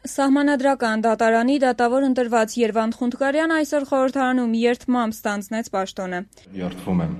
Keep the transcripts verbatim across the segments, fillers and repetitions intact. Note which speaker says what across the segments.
Speaker 1: Սահմանադրական դատարանի դատավոր ընտրված Երվանդ Խունդկարյանը այսօր խորհրդարանում երդմամբ ստանձնեց պաշտոնը։
Speaker 2: Երդվում եմ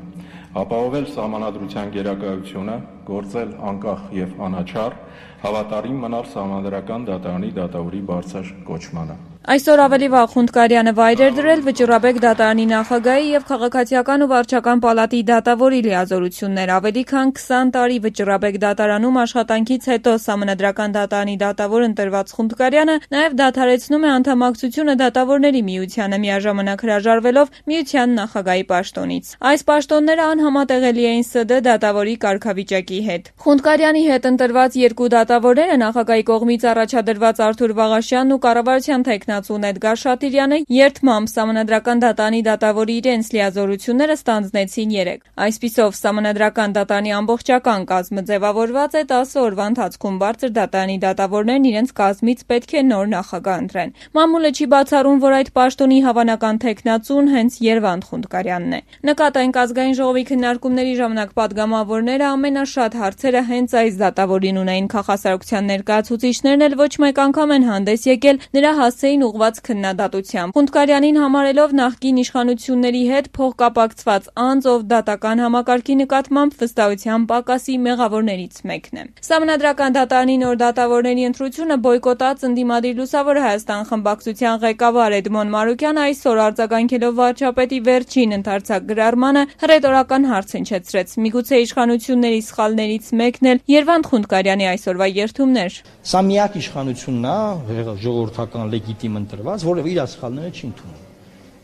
Speaker 2: ապահովել սահմանադրության գերակայությունը, գործել անկախ և անաչառ, հավատարիմ մնալ Սահմանադրական դատարանի դատավորի բարձր կոչմանը։
Speaker 1: Այսօր ավելի վաղ Խունդկարյանը վայր էր դրել Վճռաբեկ դատարանի նախագահի և Քաղաքացիական ու վարչական պալատի դատավորի լիազորություններ։ Ավելի քան քսան տարի Վճռաբեկ դատարանում աշխատանքից հետո Սահմանադրական դատարանի դատավոր ընտրված Խունդկարյանը նաև դադարեցնում է անդամակցությունը Դատավորների միությանը, միաժամանակ հրաժարվելով միության նախագահի պաշտոնից։ Այս պաշտոնները անհամատեղելի էին ՍԴ դատավորի կարգավիճակի հետ։ Խունդկարյանի հետ ընտրված երկու դատավորները նախագահի կողմից առաջադրված Արթուր Վաղաշյանն ու կառավարության թեկնածուն Էդգար Շատիրյանը երդմամբ Սահմանադրական դատարանի դատավորի իրենց լիազորությունները ստանձնեցին երեկ։ Այսպիսով Սահմանադրական դատարանի ամբողջական կազմը ձևավորված է տասը օրվա ընթացքում բարձր դատարանի դատավորներն իրենց կազմից պետք է նոր նախագահ ընտրեն։ Մամուլը չի բացառում, որ այդ պաշտոնի հավանական թեկնածուն հենց Երվանդ Խունդկարյանն է։ Նկատենք Ազգային ժողովի քննարկումների ժամանակ պատգամավորները ամենաշատ հարցերը հենց այս դատավորին ունեին։ Քաղաքասարության ներկայացուցիչներն էլ ոչ մեկ անգամ են հանդես եկել նրա հասցեին ուղղված քննադատությամբ։ Խունդկարյանին համարելով նախկին իշխանությունների հետ փոխկապակցված անձ, ով դատական համակարգի նկատմամբ վստահության պակասի մեղավորներից մեկն է։ Սահմանադրական դատարանի նոր դատավորների ընտրությունը բոյկոտած ընդդիմադիր Լուսավոր Հայաստան խմբակցության ղեկավար Էդմոն Մանուկյանը այսօր արձագանքելով վարչապետի վերջին ընդարձակ գրառմանը հռետորական հարց հնչեցրեց։ Միգուցե իշխանությունների սխալներից մեկն էլ Երվանդ Խունդկարյանի այսօրվա երդումն էր։
Speaker 3: Սա միակ իշխանությունն է ժողովրդական լեգիտիմ ընտրված, որը իր սխալները չի ընդունում։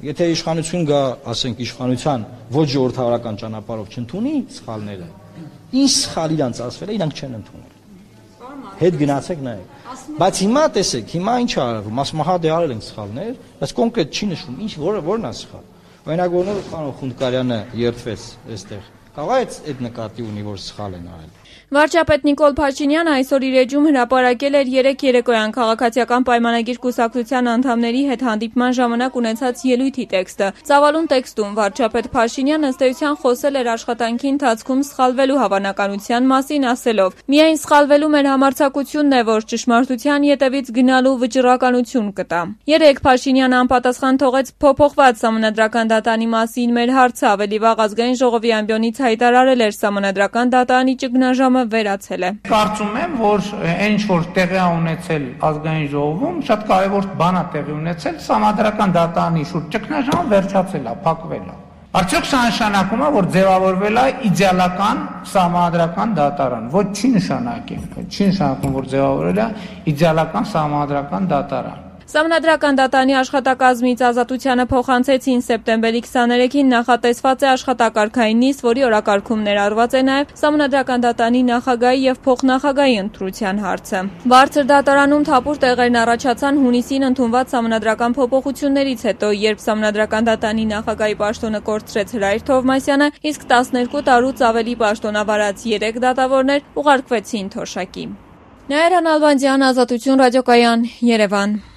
Speaker 3: Եթե իշխանություն գա, ասենք իշխանության ոչ ժողովրդավարական ճանապարհով չընդունի սխալները, ինչ սխալ իրանց ասվել է, իրանք չեն ընդունել։ Հետ գնացեք նայեք։ Բայց հիմա տեսեք, հիմա ինչ է արվում, ասում հա դե արել ենք սխալներ, բայց կոնկրետ չի նշվում, ինչ որը որն է սխալ։ Օրինակ որոնով պարոն Խունդկարյանը երդվեց այստեղ։ Կարող է այդ նկատի ունի, որ սխալ են արել։
Speaker 1: Վարչապետ Նիկոլ Փաշինյանը այսօր իր էջում հրապարակել էր երեք երեկոյան Քաղաքացիական պայմանագիր կուսակցության անդամների հետ հանդիպման ժամանակ ունեցած ելույթի տեքստը։ Ծավալուն տեքստում վարչապետ Փաշինյանը ըստ էության խոսել էր աշխատանքի ընթացքում սխալվելու հավանականության մասին, ասելով. «Միայն սխալվելու մեր համարձակությունն է, որ ճշմարտության ետևից գնալու վճռականություն կտա»։ Երեկ Փաշինյանը անպատասխան թողեց փոփոխված Սահմանադրական դատարանի մասին մեր հարցը, ավելի վաղ Ազգային ժողովի ամբիոնից հայտարարել էր Սահմանադրական դատարանի ճգնաժամը վերացել է։
Speaker 4: Կարծում եմ, որ այն ինչ-որ տեղի է ունեցել Ազգային ժողովում, շատ կարևոր բան է տեղի ունեցել, Սահմանադրական դատարանի շուրջ ճգնաժամը վերջացել է, փակվել է։ Արդյոք սա նշանակում է, որ ձևավորվել է իդեալական Սահմանադրական դատարան։ Ոչ, չի նշանակում, չի նշանակում, որ ձևավորվել է իդեալական Սահմանադրական դատարան։
Speaker 1: Սահմանադրական դատարանի աշխատակազմից Ազատությանը փոխանցեցին սեպտեմբերի քսաներեքին նախատեսված է աշխատակարգային նիստ, որի օրակարգում ներառված է նաև Սահմանադրական դատարանի նախագահի և փոխնախագահի ընտրության հարցը։ Բարձր դատարանում թափուր տեղերն առաջացան հունիսին ընդունված սահմանադրական փոփոխություններից հետո, երբ Սահմանադրական դատարանի նախագահի պաշտոնը կորցրեց Հրայր Թովմասյանը, իսկ տասներկու տարուց ավելի պաշտոնավարած երեք դատավորներ ուղարկվեցին թոշակի։ Նաիրա Նալբանդյան, Ազատություն ռադիոկայան, Երևան։